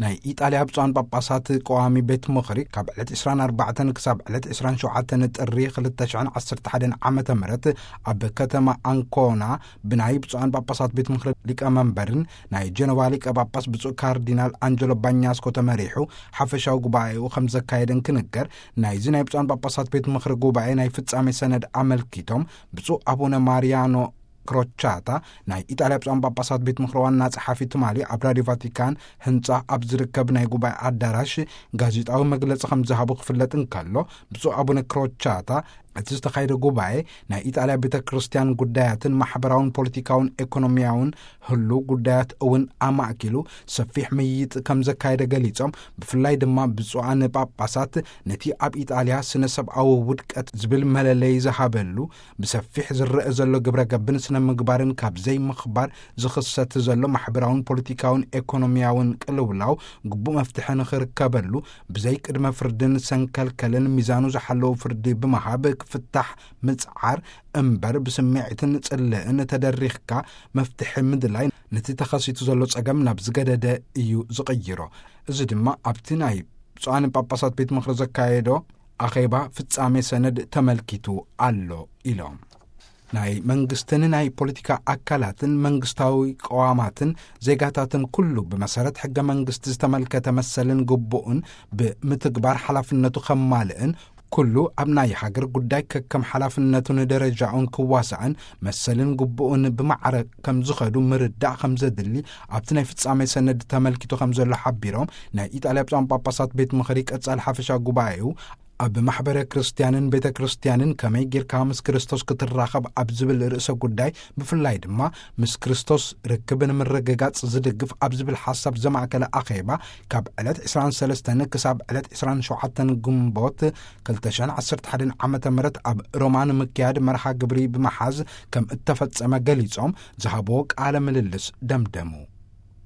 ናይ ኢጣልያ ብፁዓን ጳጳሳት ቀዋሚ ቤት ምኽሪ ካብ ዕለት ዕስራን ኣርባዕተን ክሳብ ዕለት ዕስራን ሸውዓተን ጥሪ ክልተ ሽሕን ዓሰርተ ሓደን ዓመተ ምህረት ኣብ ከተማ ኣንኮና ብናይ ብፁዓን ጳጳሳት ቤት ምኽሪ ሊቀመንበርን ናይ ጀነቫ ሊቀ ጳጳስ ብፁዕ ካርዲናል ኣንጀሎ ባኛስኮ ተመሪሑ ሓፈሻዊ ጉባኤኡ ከም ዘካየደን ክንገር። ናይዚ ናይ ብፁዓን ጳጳሳት ቤት ምኽሪ ጉባኤ ናይ ፍጻሜ ሰነድ ኣመልኪቶም ብፁዕ ኣቡነ ማሪያኖ ክሮቻታ ናይ ኢጣልያ ብፁዓን ጳጳሳት ቤት ምኽሪ ዋና ጸሓፊ ትማሊ ኣብ ራድዮ ቫቲካን ህንጻ ኣብ ዝርከብ ናይ ጉባኤ ኣዳራሽ ጋዜጣዊ መግለጺ ከም ዝሃቡ ክፍለጥ እንከሎ፣ ብፁዕ ኣቡነ ክሮቻታ እቲ ዝተኻየደ ጉባኤ ናይ ኢጣልያ ቤተ ክርስቲያን ጉዳያትን ማሕበራውን ፖለቲካውን ኤኮኖሚያውን ህሉ ጉዳያት እውን ኣማእኪሉ ሰፊሕ ምይይጥ ከም ዘካየደ ገሊጾም፣ ብፍላይ ድማ ብፁዓን ጳጳሳት ነቲ ኣብ ኢጣልያ ስነ ሰብኣዊ ውድቀት ዝብል መለለይ ዝሃበሉ ብሰፊሕ ዝረአ ዘሎ ግብረ ገብን ስነ ምግባርን ካብ ዘይምኽባር ዝኽሰት ዘሎ ማሕበራውን ፖለቲካውን ኤኮኖሚያውን ቅልውላው ግቡእ መፍትሒ ንኽርከበሉ ብዘይ ቅድመ ፍርድን ሰንከልከልን ሚዛኑ ዝሓለዉ ፍርዲ ብምሃብ ክፍታሕ ምጽዓር እምበር ብስምዒትን ጽልእን ተደሪኽካ መፍትሒ ምድላይ ነቲ ተኸሲቱ ዘሎ ጸገም ናብ ዝገደደ እዩ ዝቕይሮ። እዚ ድማ ኣብቲ ናይ ብፁዓን ጳጳሳት ቤት ምኽሪ ዘካየዶ ኣኼባ ፍጻሜ ሰነድ ተመልኪቱ ኣሎ ኢሎም። ናይ መንግስትን ናይ ፖለቲካ ኣካላትን መንግስታዊ ቀዋማትን ዜጋታትን ኩሉ ብመሰረት ሕገ መንግስቲ ዝተመልከተ መሰልን ግቡእን ብምትግባር ሓላፍነቱ ከማልእን ኩሉ ኣብ ናይ ሃገር ጉዳይ ከከም ሓላፍነቱን ደረጃኡን ክዋሳእን መሰልን ግቡእን ብማዕረ ከም ዝኸዱ ምርዳእ ከም ዘድሊ ኣብቲ ናይ ፍጻሜ ሰነድ ተመልኪቱ ከም ዘሎ ሓቢሮም፣ ናይ ኢጣልያ ብፁዓን ጳጳሳት ቤት ምኽሪ ቀጻሊ ሓፈሻ ጉባኤኡ ኣብ ማሕበረ ክርስቲያንን ቤተ ክርስቲያንን ከመይ ጌርካ ምስ ክርስቶስ ክትራኸብ ኣብ ዝብል ርእሰ ጉዳይ፣ ብፍላይ ድማ ምስ ክርስቶስ ርክብ ንምርግጋጽ ዝድግፍ ኣብ ዝብል ሓሳብ ዘማእከለ ኣኼባ ካብ ዕለት ዕስራን ሰለስተን ክሳብ ዕለት ዕስራን ሸውዓተን ግንቦት ክልተ ሽሕን ዓሰርተ ሓደን ዓመተ ምህረት ኣብ ሮማ ንምክያድ መርሃ ግብሪ ብምሓዝ ከም እተፈጸመ ገሊጾም ዝሃብዎ ቃለ ምልልስ ደምደሙ።